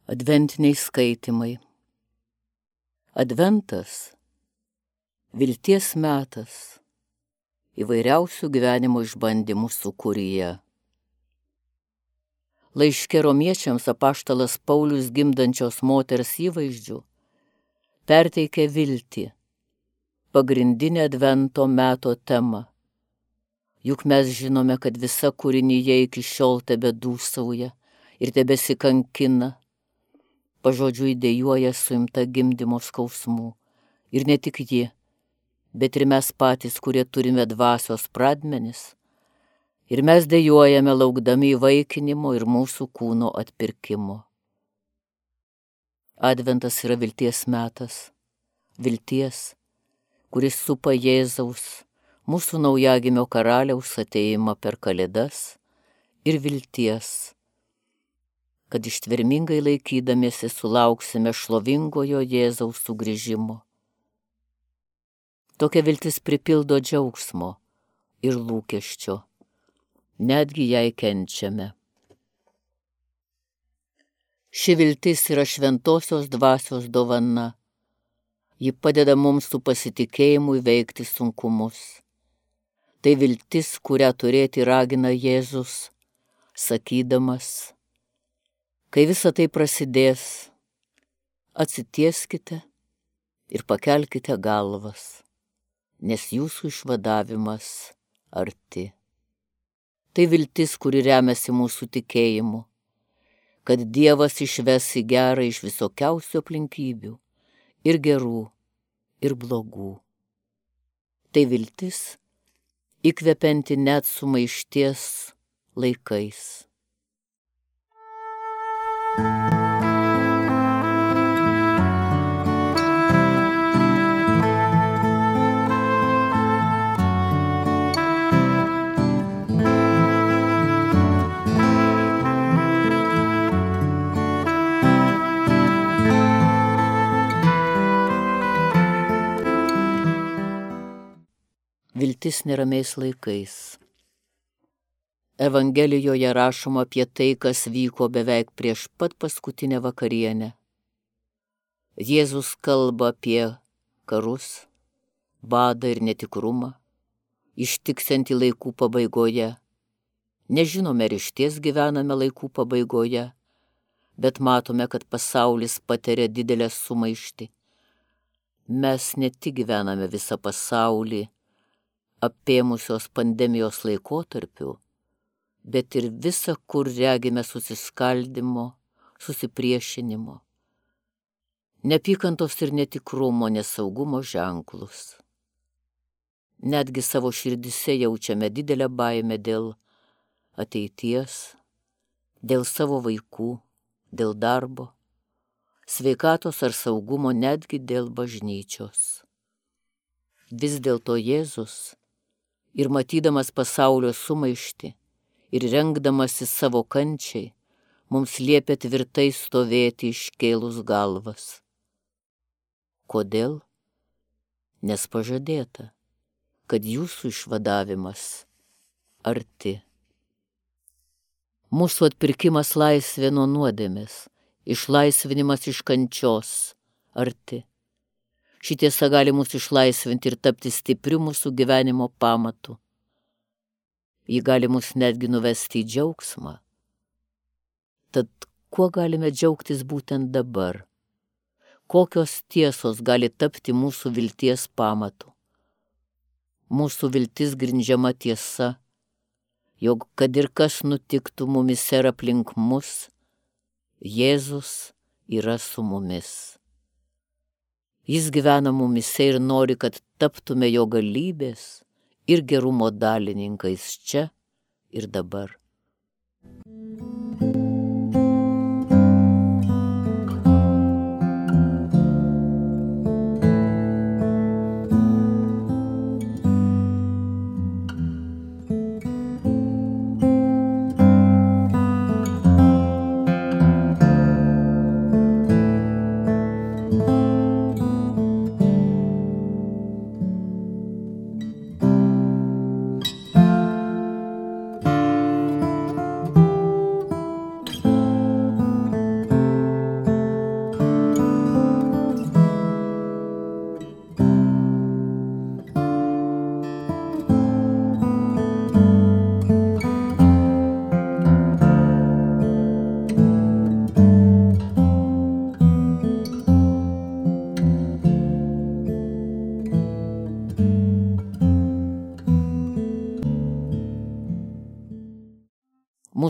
Adventiniai skaitymai. Adventas – vilties metas įvairiausių gyvenimo išbandymų sūkuryje. Laiške romiečiams apaštalas Paulius gimdančios moters įvaizdžių perteikia viltį, pagrindinę advento meto temą. Juk mes žinome, kad visa kūrinyje iki šiol tebedūsauja ir tebesikankina, pažodžiui dejuoja suimta gimdymo skausmų. Ir ne tik ji, bet ir mes patys, kurie turime dvasios pradmenis. Ir mes dejuojame laukdami įvaikinimo ir mūsų kūno atpirkimo. Adventas yra vilties metas. Vilties, kuris supa Jėzaus, mūsų naujagimio karaliaus atėjimą per Kalėdas, ir vilties, kad ištvermingai laikydamiesi sulauksime šlovingojo Jėzaus sugrįžimo. Tokia viltis pripildo džiaugsmo ir lūkesčio, netgi jei kenčiame. Ši viltis yra šventosios dvasios dovana. Ji padeda mums su pasitikėjimu įveikti sunkumus. Tai viltis, kurią turėti ragina Jėzus, sakydamas: kai visa tai prasidės, atsitieskite ir pakelkite galvas, nes jūsų išvadavimas arti. Tai viltis, kuri remiasi mūsų tikėjimu, kad Dievas išves į gerą iš visokiausių aplinkybių, ir gerų, ir blogų. Tai viltis, įkvepianti net sumaišties laikais. Viltis neramiais laikais. Evangelijoje rašoma apie tai, kas vyko beveik prieš pat paskutinę vakarienę. Jėzus kalba apie karus, badą ir netikrumą, ištiksiantį laikų pabaigoje. Nežinome, ar išties gyvename laikų pabaigoje, bet matome, kad pasaulis patiria didelę sumaištį. Mes ne tik gyvename visą pasaulį apėmusios pandemijos laikotarpiu, bet ir visa, kur regime susiskaldimo, susipriešinimo, neapykantos ir netikrumo, nesaugumo ženklus. Netgi savo širdise jaučiame didelę baimę dėl ateities, dėl savo vaikų, dėl darbo, sveikatos ar saugumo, netgi dėl bažnyčios. Vis dėlto Jėzus, ir matydamas pasaulio sumaištį, ir rengdamasi savo kančiai, mums liepia tvirtai stovėti iškėlus galvas. Kodėl? Nes pažadėta, kad jūsų išvadavimas arti. Mūsų atpirkimas laisvė nuo nuodėmės, išlaisvinimas iš kančios arti. Ši tiesa gali mus išlaisvinti ir tapti stipriu mūsų gyvenimo pamatu. Ji gali mus netgi nuvesti į džiaugsmą. Tad kuo galime džiaugtis būtent dabar? Kokios tiesos gali tapti mūsų vilties pamatu? Mūsų viltis grindžiama tiesa, jog kad ir kas nutiktų mumise ir aplink mus, Jėzus yra su mumis. Jis gyvena mumise ir nori, kad taptume jo galybės ir gerumo dalininkais čia ir dabar.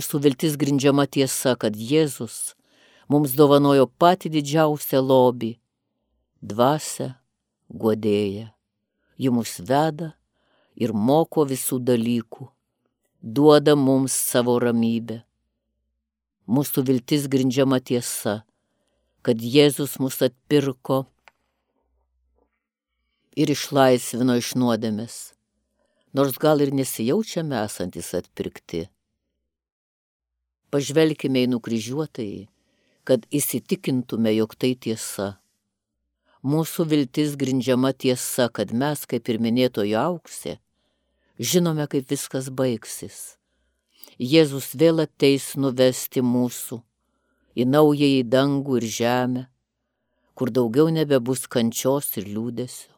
Mūsų viltis grindžiama tiesa, kad Jėzus mums dovanojo patį didžiausią lobį – dvasią guodėją. Ji mus veda ir moko visų dalykų, duoda mums savo ramybę. Mūsų viltis grindžiama tiesa, kad Jėzus mus atpirko ir išlaisvino iš nuodėmės, nors gal ir nesijaučiame esantis atpirkti. Pažvelkime į nukryžiuotąjį, kad įsitikintume, jog tai tiesa. Mūsų viltis grindžiama tiesa, kad mes, kaip ir minėtojo auksė, žinome, kaip viskas baigsis. Jėzus vėl ateis nuvesti mūsų į naująjį dangų ir žemę, kur daugiau nebebus kančios ir liūdesio.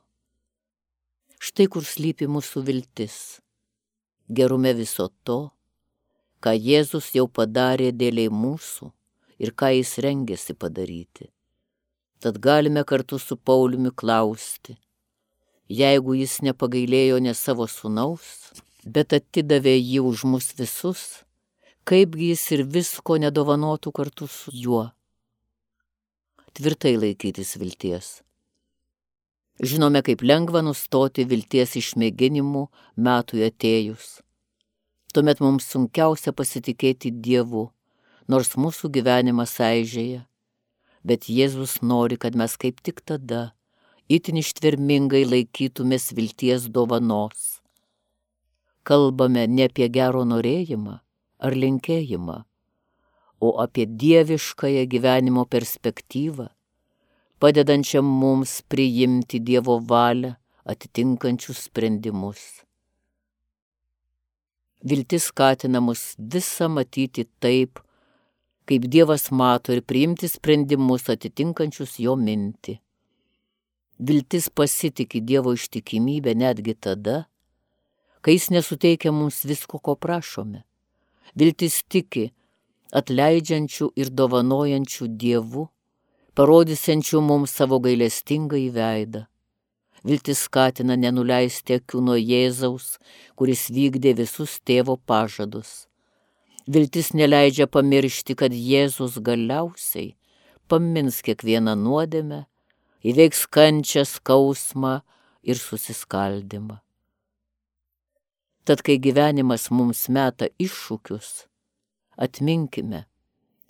Štai kur slypi mūsų viltis, gerume viso to, ką Jėzus jau padarė dėliai mūsų ir ką jis rengėsi padaryti. Tad galime kartu su Pauliumi klausti, jeigu jis nepagailėjo ne savo sūnaus, bet atidavė jį už mus visus, kaipgi jis ir visko nedovanotų kartu su juo. Tvirtai laikytis vilties. Žinome, kaip lengva nustoti vilties išmėginimų metui atėjus. Tuomet mums sunkiausia pasitikėti Dievu, nors mūsų gyvenimas aižėja. Bet Jėzus nori, kad mes kaip tik tada itin ištvermingai laikytumės vilties dovanos. Kalbame ne apie gero norėjimą ar linkėjimą, o apie dieviškąją gyvenimo perspektyvą, padedančią mums priimti Dievo valią atitinkančius sprendimus. Viltis skatina mus visą matyti taip, kaip Dievas mato ir priimti sprendimus atitinkančius jo mintį. Viltis pasitiki Dievo ištikimybę netgi tada, kai jis nesuteikia mums visko, ko prašome. Viltis tiki atleidžiančių ir dovanojančių Dievu, parodysiančių mums savo gailestingąjį veidą. Viltis skatina nenuleisti akių nuo Jėzaus, kuris vykdė visus tėvo pažadus. Viltis neleidžia pamiršti, kad Jėzus galiausiai pamins kiekvieną nuodėmę, įveiks kančią, skausmą ir susiskaldymą. Tad, kai gyvenimas mums meta iššūkius, atminkime,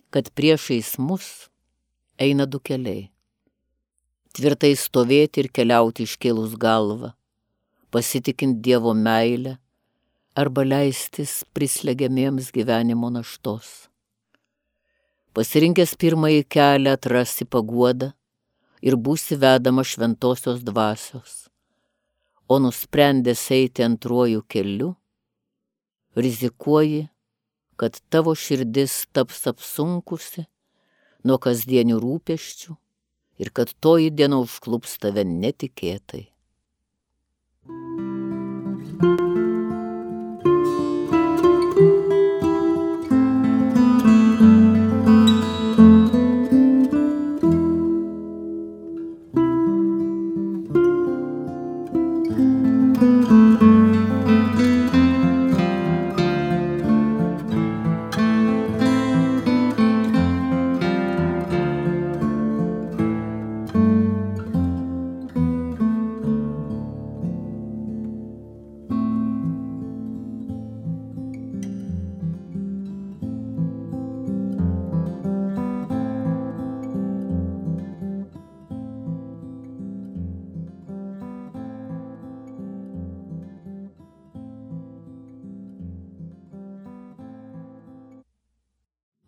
kad priešais mus eina du keliai. Tvirtai stovėti ir keliauti iškėlus galvą, pasitikint Dievo meilę, arba leistis prislegiamiems gyvenimo naštos. Pasirinkęs pirmąjį kelią atrasi paguodą ir būsi vedama šventosios dvasios, o nusprendęs eiti antruoju keliu, rizikuoji, kad tavo širdis taps apsunkusi nuo kasdienių rūpesčių ir kad toji diena užklups tave netikėtai.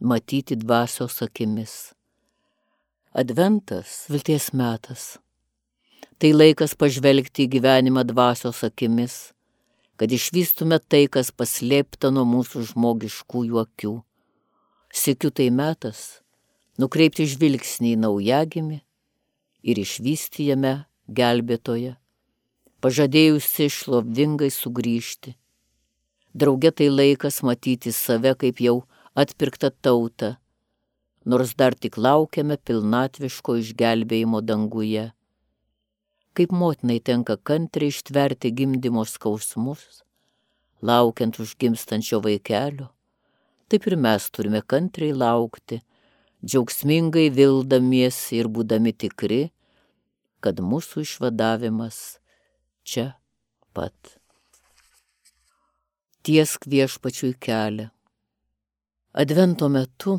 Matyti dvasios akimis. Adventas – vilties metas. Tai laikas pažvelgti į gyvenimą dvasios akimis, kad išvystume tai, kas paslėpta nuo mūsų žmogiškųjų akių. Sykiu tai metas nukreipti žvilgsnį į naujagimį ir išvysti jame gelbėtoją, pažadėjusi šlovingai sugrįžti. Drauge tai laikas matyti save kaip jau atpirktą tautą, nors dar tik laukiame pilnatviško išgelbėjimo danguje. Kaip motinai tenka kantriai ištverti gimdymo skausmus, laukiant užgimstančio vaikelio, taip ir mes turime kantriai laukti, džiaugsmingai vildamiesi ir būdami tikri, kad mūsų išvadavimas čia pat. Tiesk Viešpačiui kelią. Advento metu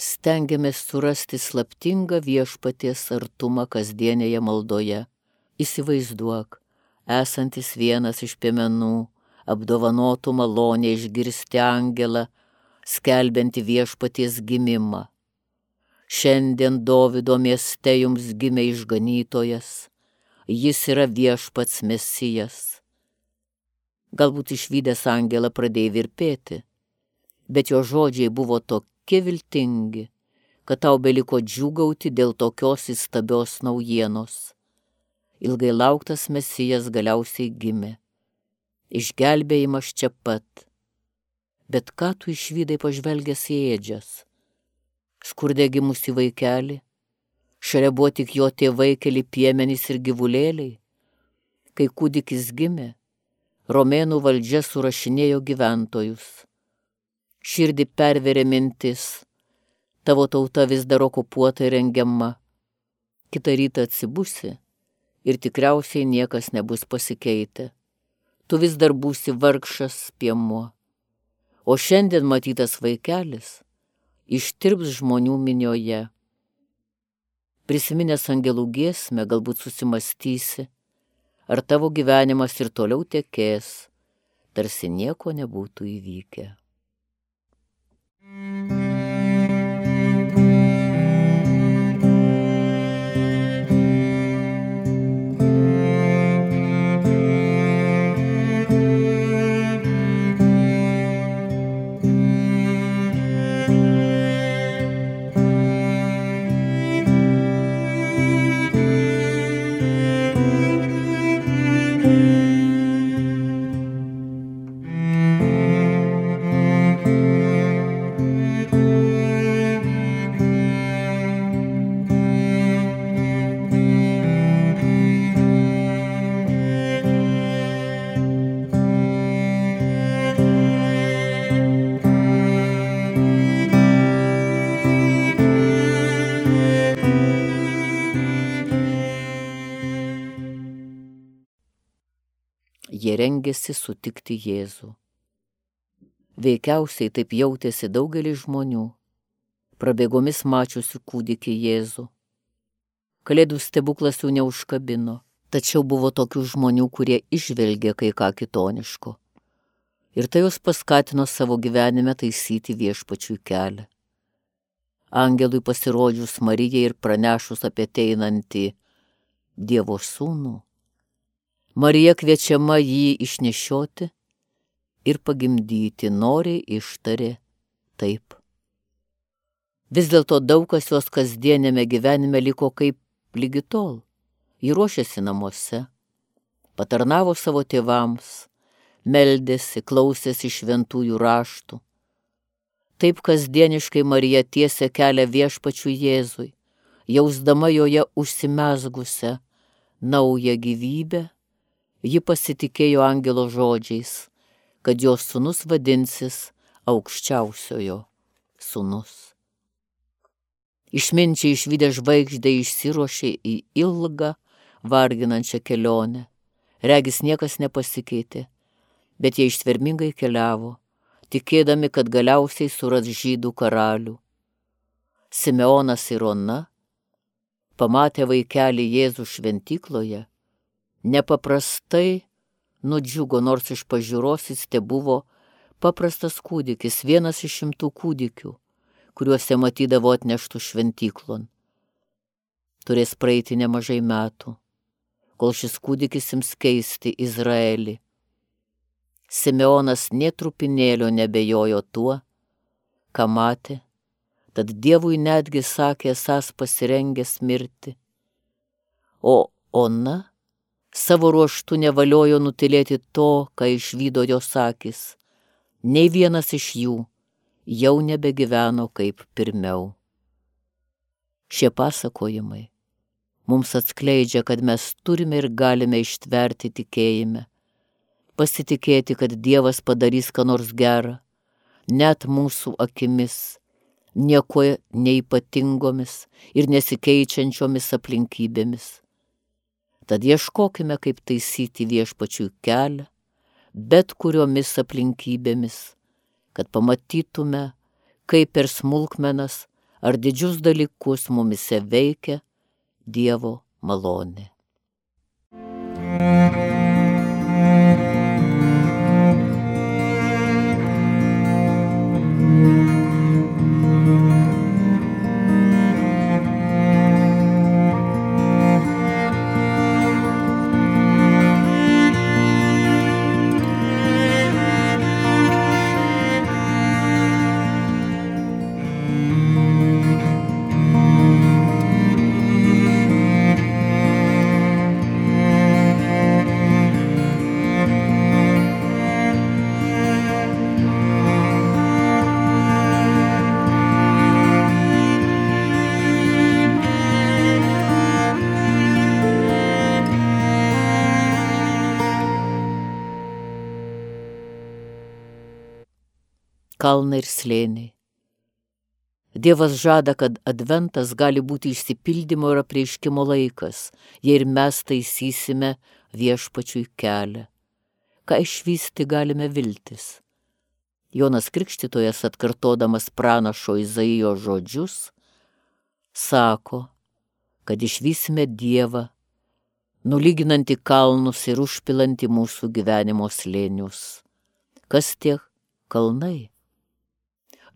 stengiamės surasti slaptingą Viešpaties artumą kasdienėje maldoje. Įsivaizduok, esantis vienas iš piemenų, apdovanotų malonę išgirsti angelą, skelbianti Viešpaties gimimą. Šiandien Dovydo mieste jums gimė išganytojas, jis yra Viešpats Mesijas. Galbūt išvydęs angelą pradėjai virpėti, bet jo žodžiai buvo tokie viltingi, kad tau beliko džiūgauti dėl tokios įstabios naujienos. Ilgai lauktas Mesijas galiausiai gimė. Išgelbėjimas čia pat. Bet ką tu išvydai pažvelgęs į ėdžias? Skurde gimusi vaikelį? Šalia buvo tik jo tėvai, keli piemenys ir gyvulėliai. Kai kūdikis gimė, Romėnų valdžia surašinėjo gyventojus. Širdį perverė mintis, tavo tauta vis dar okupuota ir rengiama. Kitą rytą atsibusi ir tikriausiai niekas nebus pasikeitę. Tu vis dar būsi vargšas piemuo. O šiandien matytas vaikelis ištirps žmonių minioje. Prisiminęs angelų giesmę, galbūt susimastysi, ar tavo gyvenimas ir toliau tekės, tarsi nieko nebūtų įvykę. Jie rengėsi sutikti Jėzų. Veikiausiai taip jautėsi daugelis žmonių, prabėgomis mačiusių kūdikį Jėzų. Kalėdų stebuklas jų neužkabino, tačiau buvo tokių žmonių, kurie išvelgė kai ką kitoniško. Ir tai jos paskatino savo gyvenime taisyti Viešpačiui kelią. Angelui pasirodžius Marijai ir pranešus apie ateinantį Dievo sūnų, Marija kviečiama jį išnešioti ir pagimdyti, noriai ištarė taip. Vis dėlto daug kas jos kasdienėme gyvenime liko kaip lygi tol. Ji ruošėsi namuose, patarnavo savo tėvams, meldėsi, klausėsi šventųjų raštų. Taip kasdieniškai Marija tiesė kelią Viešpačiui Jėzui, jausdama joje užsimezgusią naują gyvybę. Ji pasitikėjo angelo žodžiais, kad jos sūnus vadinsis aukščiausiojo sūnus. Išminčiai išvydę žvaigždę išsiruošė į ilgą, varginančią kelionę. Regis niekas nepasikeitė, bet jie ištvermingai keliavo, tikėdami, kad galiausiai suras žydų karalių. Simeonas ir Ona, pamatę vaikelį Jėzų šventykloje, nepaprastai nudžiugo, nors iš pažiūros jis tebuvo paprastas kūdikis, vienas iš 100 kūdikių, kuriuose matydavo atneštų šventyklon. Turės praeiti nemažai metų, kol šis kūdikis ims keisti Izraelį. Simeonas nė trupinėlio nebejojo tuo, ką matė, tad Dievui netgi sakė esąs pasirengęs mirti. O Ona savo ruožtu nevaliojo nutylėti to, ką išvydo jos akys. Nei vienas iš jų jau nebegyveno kaip pirmiau. Šie pasakojimai mums atskleidžia, kad mes turime ir galime ištverti tikėjime, pasitikėti, kad Dievas padarys ką nors gerą, net mūsų akimis, nieko neypatingomis ir nesikeičiančiomis aplinkybėmis. Tad ieškokime, kaip taisyti viešpačiui kelią, bet kuriomis aplinkybėmis, kad pamatytume, kaip per smulkmenas ar didžius dalykus mumise veikia Dievo malonė. Kalnai ir slėniai. Dievas žada, kad adventas gali būti išsipildymo ir apreiškimo laikas, jei ir mes taisysime viešpačiui kelią. Ką išvysti galime viltis? Jonas Krikštytojas, atkartodamas pranašo Izaijo žodžius, sako, kad išvysime Dievą, nulyginantį kalnus ir užpilantį mūsų gyvenimo slėnius. Kas tie kalnai?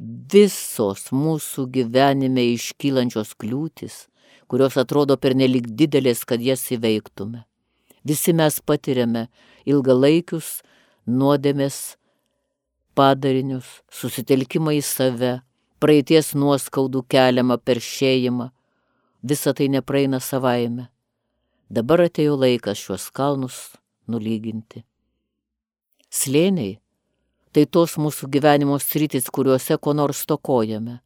Visos mūsų gyvenime iškylančios kliūtis, kurios atrodo pernelyg didelės, kad jas įveiktume. Visi mes patiriame ilgalaikius nuodėmės padarinius, susitelkimą į save, praeities nuoskaudų keliamą peršėjimą. Visa tai nepraeina savaime. Dabar atėjo laikas šiuos kalnus nulyginti. Slėniai tai tos mūsų gyvenimo sritis, kuriuose ko nors stokojame.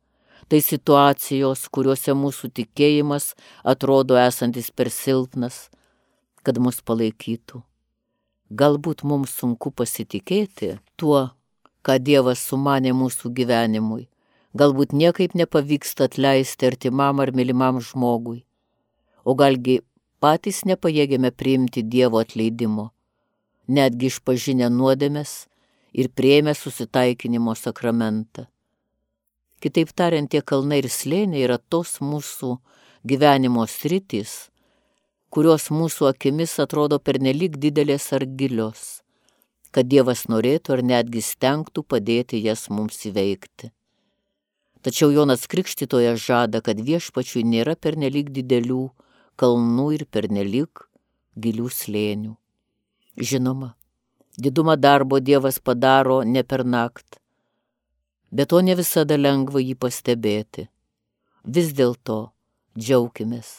Tai situacijos, kuriuose mūsų tikėjimas atrodo esantis per silpnas, kad mus palaikytų. Galbūt mums sunku pasitikėti tuo, ką Dievas sumanė mūsų gyvenimui. Galbūt niekaip nepavyksta atleisti artimam ar mylimam žmogui. O galgi patys nepajėgėme priimti Dievo atleidimo, netgi išpažinę nuodėmes ir priėmę susitaikinimo sakramentą. Kitaip tariant, tie kalnai ir slėniai yra tos mūsų gyvenimo sritys, kurios mūsų akimis atrodo pernelyg didelės ar gilios, kad Dievas norėtų ar netgi stengtų padėti jas mums įveikti. Tačiau Jonas Krikštytojas žada, kad viešpačiui nėra pernelyg didelių kalnų ir pernelyg gilių slėnių. Žinoma, didumą darbo Dievas padaro ne per naktį, bet to ne visada lengva jį pastebėti. Vis dėlto džiaukimės,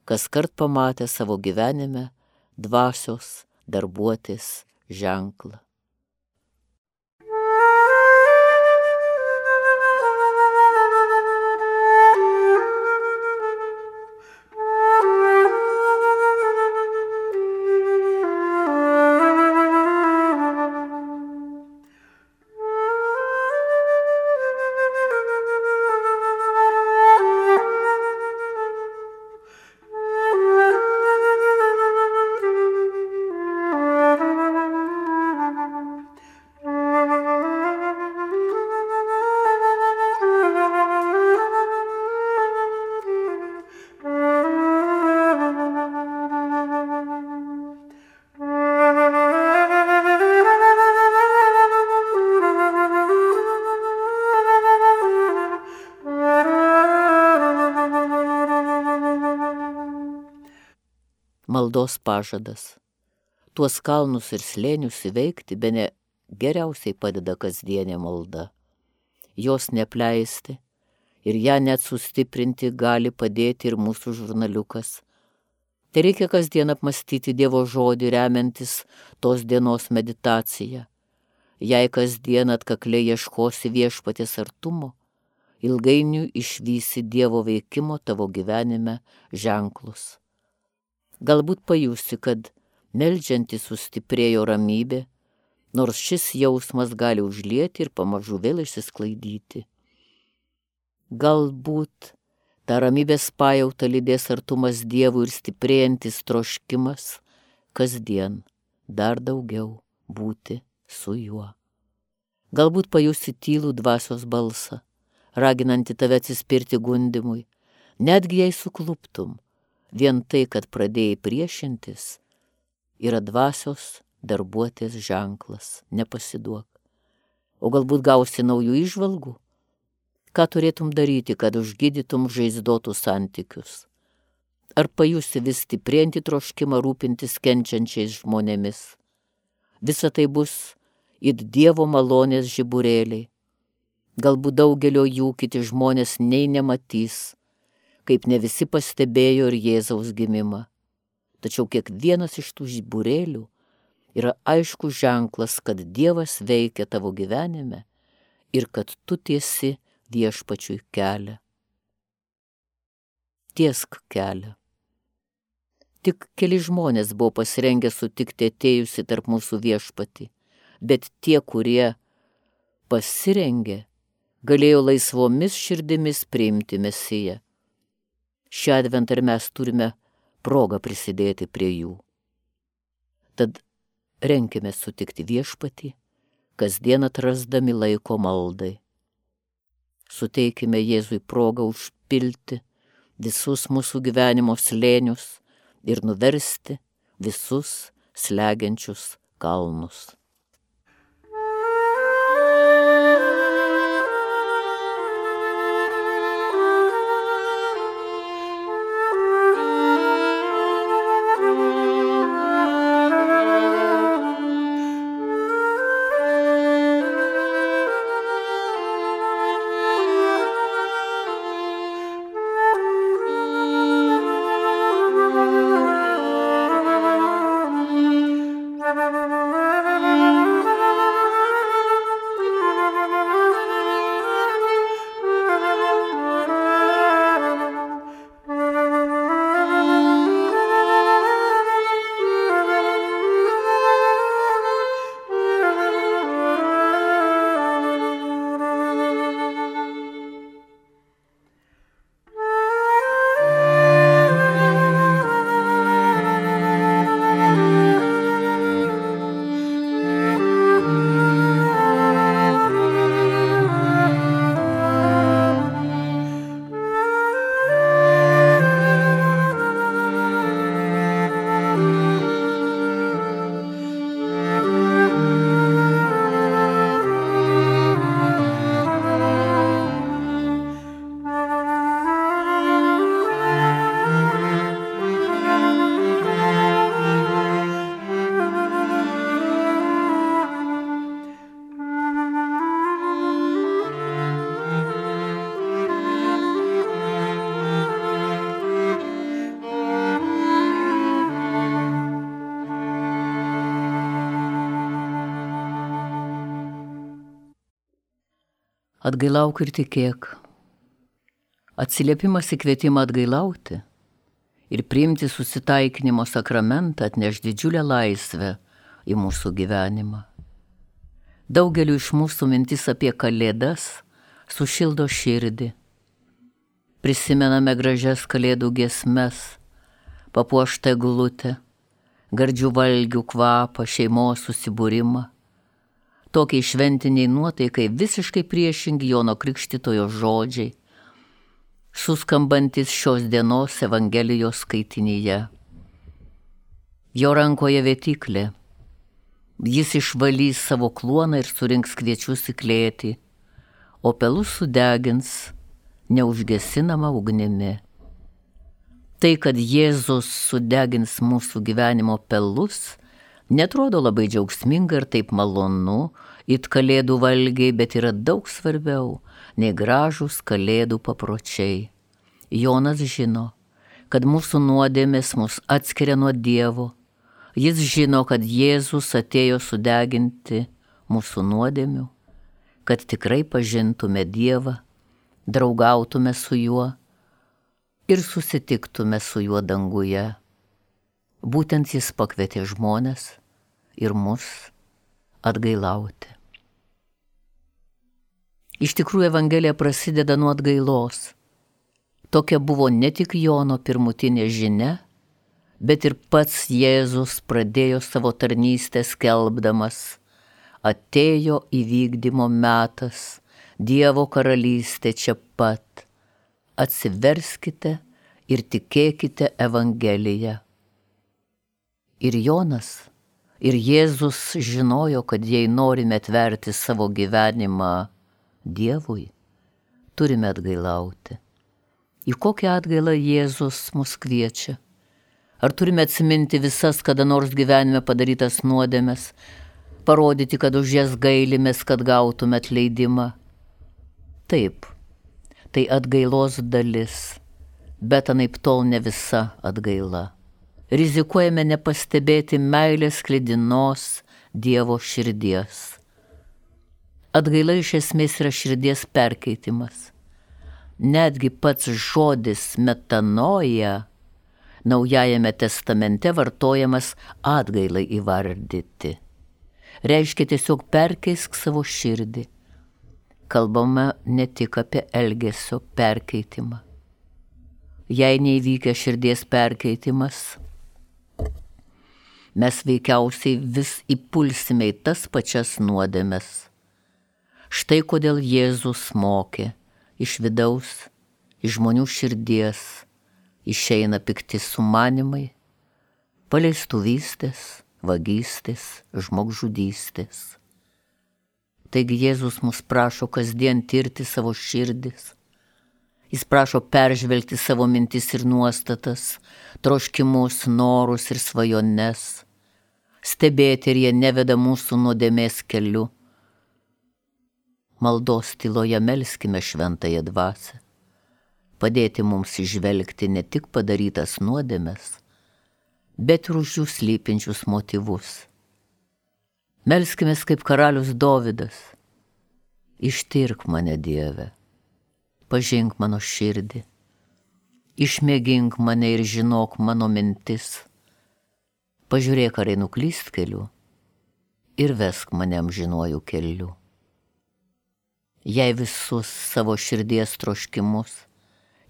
kaskart pamatę savo gyvenime dvasios darbuotis ženklą. Maldos pažadas. Tuos kalnus ir slėnius įveikti bene geriausiai padeda kasdienė malda. Jos neapleisti ir ją net sustiprinti gali padėti ir mūsų žurnaliukas. Tai reikia kasdien apmastyti Dievo žodį, remiantis tos dienos meditaciją. Jei kasdien atkakliai ieškosi viešpaties artumo, ilgainiui išvysi Dievo veikimo tavo gyvenime ženklus. Galbūt pajusi, kad meldžiantis sustiprėjo ramybė, nors šis jausmas gali užlieti ir pamažu vėl išsisklaidyti. Galbūt tą ramybės pajautą lydės artumas Dievui ir stiprėjantis troškimas kasdien dar daugiau būti su juo. Galbūt pajusi tylų dvasios balsą, raginantį tave atsispirti gundymui, netgi jei sukluptum, vien tai, kad pradėjai priešintis, yra dvasios darbuotės ženklas, nepasiduok. O galbūt gausi naujų įžvalgų? Ką turėtum daryti, kad užgydytum žaizdotus santykius? Ar pajusi vis stiprėjantį troškimą rūpintis kenčiančiais žmonėmis? Visa tai bus it Dievo malonės žiburėliai. Galbūt daugelio jų kiti žmonės nei nematys, kaip ne visi pastebėjo ir Jėzaus gimimą. Tačiau kiekvienas iš tų žiburėlių yra aiškus ženklas, kad Dievas veikia tavo gyvenime ir kad tu tiesi Viešpačiui kelią. Tiesk kelią. Tik keli žmonės buvo pasirengę sutikti atėjusi tarp mūsų Viešpatį, bet tie, kurie pasirengė, galėjo laisvomis širdimis priimti Mesiją. Šią adventą ir mes turime progą prisidėti prie jų. Tad renkime sutikti Viešpatį, kasdien atrasdami laiko maldai. Suteikime Jėzui progą užpilti visus mūsų gyvenimo slėnius ir nuversti visus slegiančius kalnus. Atgailauk ir tikėk. Atsiliepimas į kvietimą atgailauti ir priimti susitaikinimo sakramentą atneš didžiulę laisvę į mūsų gyvenimą. Daugeliu iš mūsų mintis apie Kalėdas sušildo širdį. Prisimename gražias Kalėdų giesmes, papuoštą eglutę, gardžių valgių kvapą, šeimos susibūrimą. Tokiai šventiniai nuotaikai visiškai priešingi Jono Krikštytojo žodžiai, suskambantis šios dienos Evangelijos skaitinyje. Jo rankoje vėtyklė. Jis išvalys savo kluoną ir surinks kviečius į klėtį, o pelus sudegins neužgesinama ugnimi. Tai, kad Jėzus sudegins mūsų gyvenimo pelus, netrodo labai džiaugsminga ir taip malonu, it Kalėdų valgiai, bet yra daug svarbiau nei gražūs Kalėdų papročiai. Jonas žino, kad mūsų nuodėmės mus atskiria nuo Dievo. Jis žino, kad Jėzus atėjo sudeginti mūsų nuodėmių, kad tikrai pažintume Dievą, draugautume su juo ir susitiktume su juo danguje. Būtent jis pakvietė žmones ir mus atgailauti. Iš tikrųjų, Evangelija prasideda nuo atgailos. Tokia buvo ne tik Jono pirmutinė žinia, bet ir pats Jėzus pradėjo savo tarnystę skelbdamas: atėjo įvykdymo metas, Dievo karalystė čia pat. Atsiverskite ir tikėkite Evangeliją. Ir Jonas, ir Jėzus žinojo, kad jei norime atverti savo gyvenimą Dievui, turime atgailauti. Į kokią atgailą Jėzus mus kviečia? Ar turime atsiminti visas kada nors gyvenime padarytas nuodėmes, parodyti, kad už jas gailimės, kad gautume atleidimą? Taip, tai atgailos dalis, bet anaiptol ne visa atgaila. Rizikuojame nepastebėti meilės sklidinos Dievo širdies. Atgaila iš esmės yra širdies perkeitimas. Netgi pats žodis metanoja Naujajame testamente vartojamas atgailai įvardyti. Reiškia tiesiog perkeisk savo širdį. Kalbame ne tik apie elgesio perkeitimą. Jei neįvykia širdies perkeitimas, mes veikiausiai vis įpulsime į tas pačias nuodėmes. Štai kodėl Jėzus mokė: iš vidaus, iš žmonių širdies išeina pikti sumanimai, paleistuvystės, vagystės, žmogžudystės. Taigi Jėzus mus prašo kasdien tirti savo širdis. Jis prašo peržvelgti savo mintis ir nuostatas, troškimus, norus ir svajones, stebėti, ar jie neveda mūsų nuodėmės keliu. Maldos tyloje melskime šventąją dvasią, padėti mums įžvelgti ne tik padarytas nuodėmes, bet ir už jų slypinčius motyvus. Melskimės kaip karalius Dovydas: ištirk mane, Dieve, pažink mano širdį, išmėgink mane ir žinok mano mintis, pažiūrėk, ar einu klystkeliu, ir vesk mane amžinuoju keliu. Jei visus savo širdies troškimus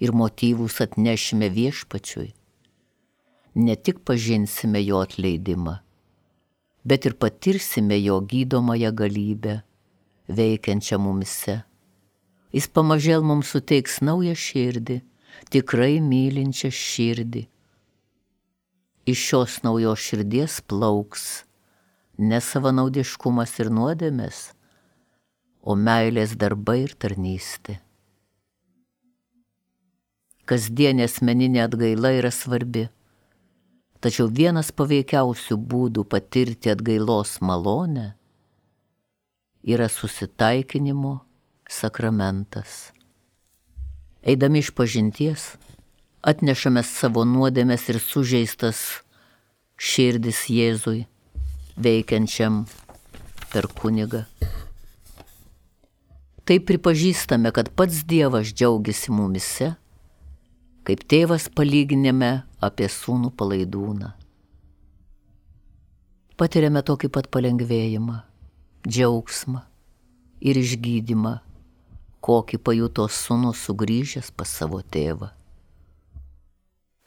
ir motyvus atnešime Viešpačiui, ne tik pažinsime jo atleidimą, bet ir patirsime jo gydomąją galybę, veikiančią mumise. Jis pamažėl mums suteiks naują širdį, tikrai mylinčią širdį. Iš šios naujos širdies plauks ne savanaudiškumas ir nuodėmės, o meilės darbai ir tarnystė. Kasdienė asmeninė atgaila yra svarbi, tačiau vienas paveikiausių būdų patirti atgailos malonę yra susitaikinimo sakramentas. Eidami išpažinties, atnešame savo nuodėmes ir sužeistas širdis Jėzui, veikiančiam per kunigą. Taip pripažįstame, kad pats Dievas džiaugiasi mumise, kaip tėvas palyginime apie sūnų palaidūną. Patiriame tokį pat palengvėjimą, džiaugsmą ir išgydymą, kokį pajuto sūnus sugrįžęs pas savo tėvą.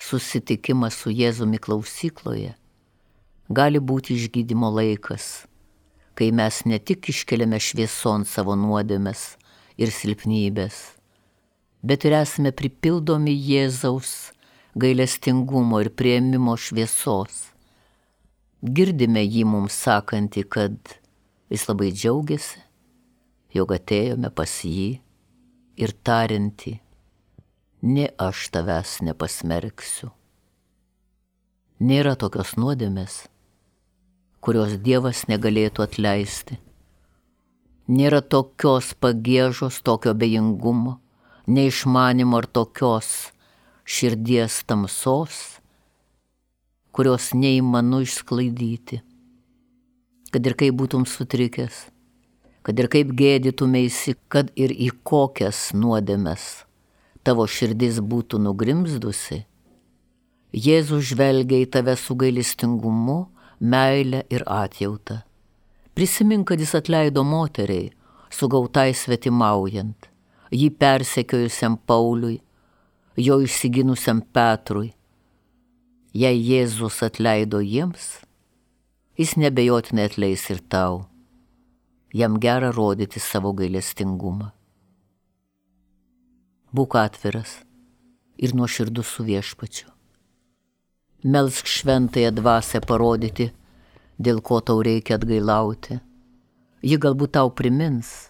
Susitikimas su Jėzumi klausykloje gali būti išgydymo laikas, kai mes ne tik iškeliame švieson savo nuodėmes ir silpnybės, bet ir esame pripildomi Jėzaus gailestingumo ir priėmimo šviesos. Girdime jį mums sakantį, kad jis labai džiaugiasi, jog atėjome pas jį, ir tariantį: nė aš tavęs nepasmerksiu. Nėra tokios nuodėmės, kurios Dievas negalėtų atleisti. Nėra tokios pagiežos, tokio abejingumo, neišmanimo ar tokios širdies tamsos, kurios neįmanu išsklaidyti. Kad ir kaip būtum sutrikęs, kad ir kaip gėdytumėsi, kad ir į kokias nuodėmes tavo širdis būtų nugrimzdusi, Jėzus žvelgia į tave su gailestingumu, meile ir atjauta, Prisimink, kad jis atleido moteriai, sugautai svetimaujant, jį persekiojusiam Pauliui, jo išsiginusiam Petrui. Jei Jėzus atleido jiems, jis nebejotinai atleis ir tau. Jam gera rodyti savo gailestingumą. Būk atviras ir nuoširdus su Viešpačiu. Melsk šventąją dvasią parodyti, dėl ko tau reikia atgailauti. Ji galbūt tau primins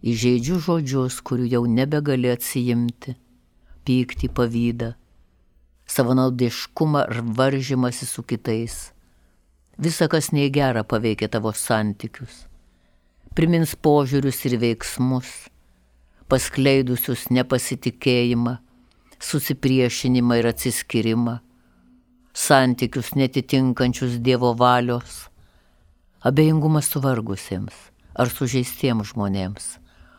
įžeidžių žodžius, kurių jau nebegali atsijimti, pyktį, pavydą, savanaudiškumą ar varžymąsi su kitais. Visa, kas nei gera, paveikia tavo santykius. Primins požiūrius ir veiksmus, paskleidusius nepasitikėjimą, susipriešinimą ir atsiskyrimą, santykius netitinkančius Dievo valios, abejingumas suvargusiems ar sužeistiems žmonėms,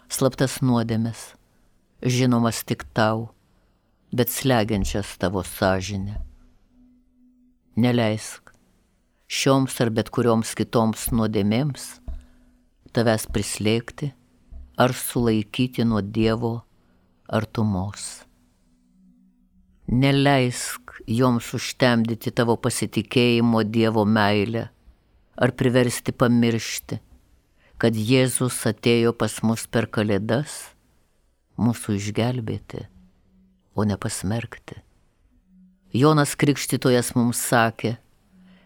slaptas nuodėmes, žinomas tik tau, bet slegiančias tavo sąžinę. Neleisk šioms ar bet kurioms kitoms nuodėmėms tavęs prislėgti ar sulaikyti nuo Dievo artumos. Neleisk joms užtemdyti tavo pasitikėjimo Dievo meilę ar priversti pamiršti, kad Jėzus atėjo pas mus per Kalėdas mūsų išgelbėti, o ne pasmerkti. Jonas Krikštytojas mums sakė,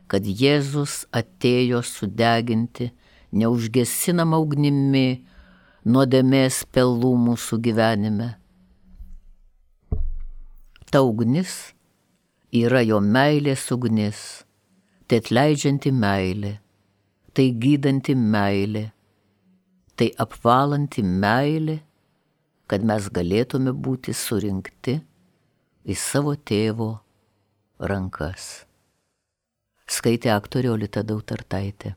kad Jėzus atėjo sudeginti neužgesinamą ugnimi nuodėmės pelų mūsų gyvenime. Ta ugnis yra jo meilės ugnis, tai atleidžianti meilė, tai gydanti meilė, tai apvalanti meilė, kad mes galėtume būti surinkti į savo tėvo rankas. Skaitė aktorė Olita Dautartaitė.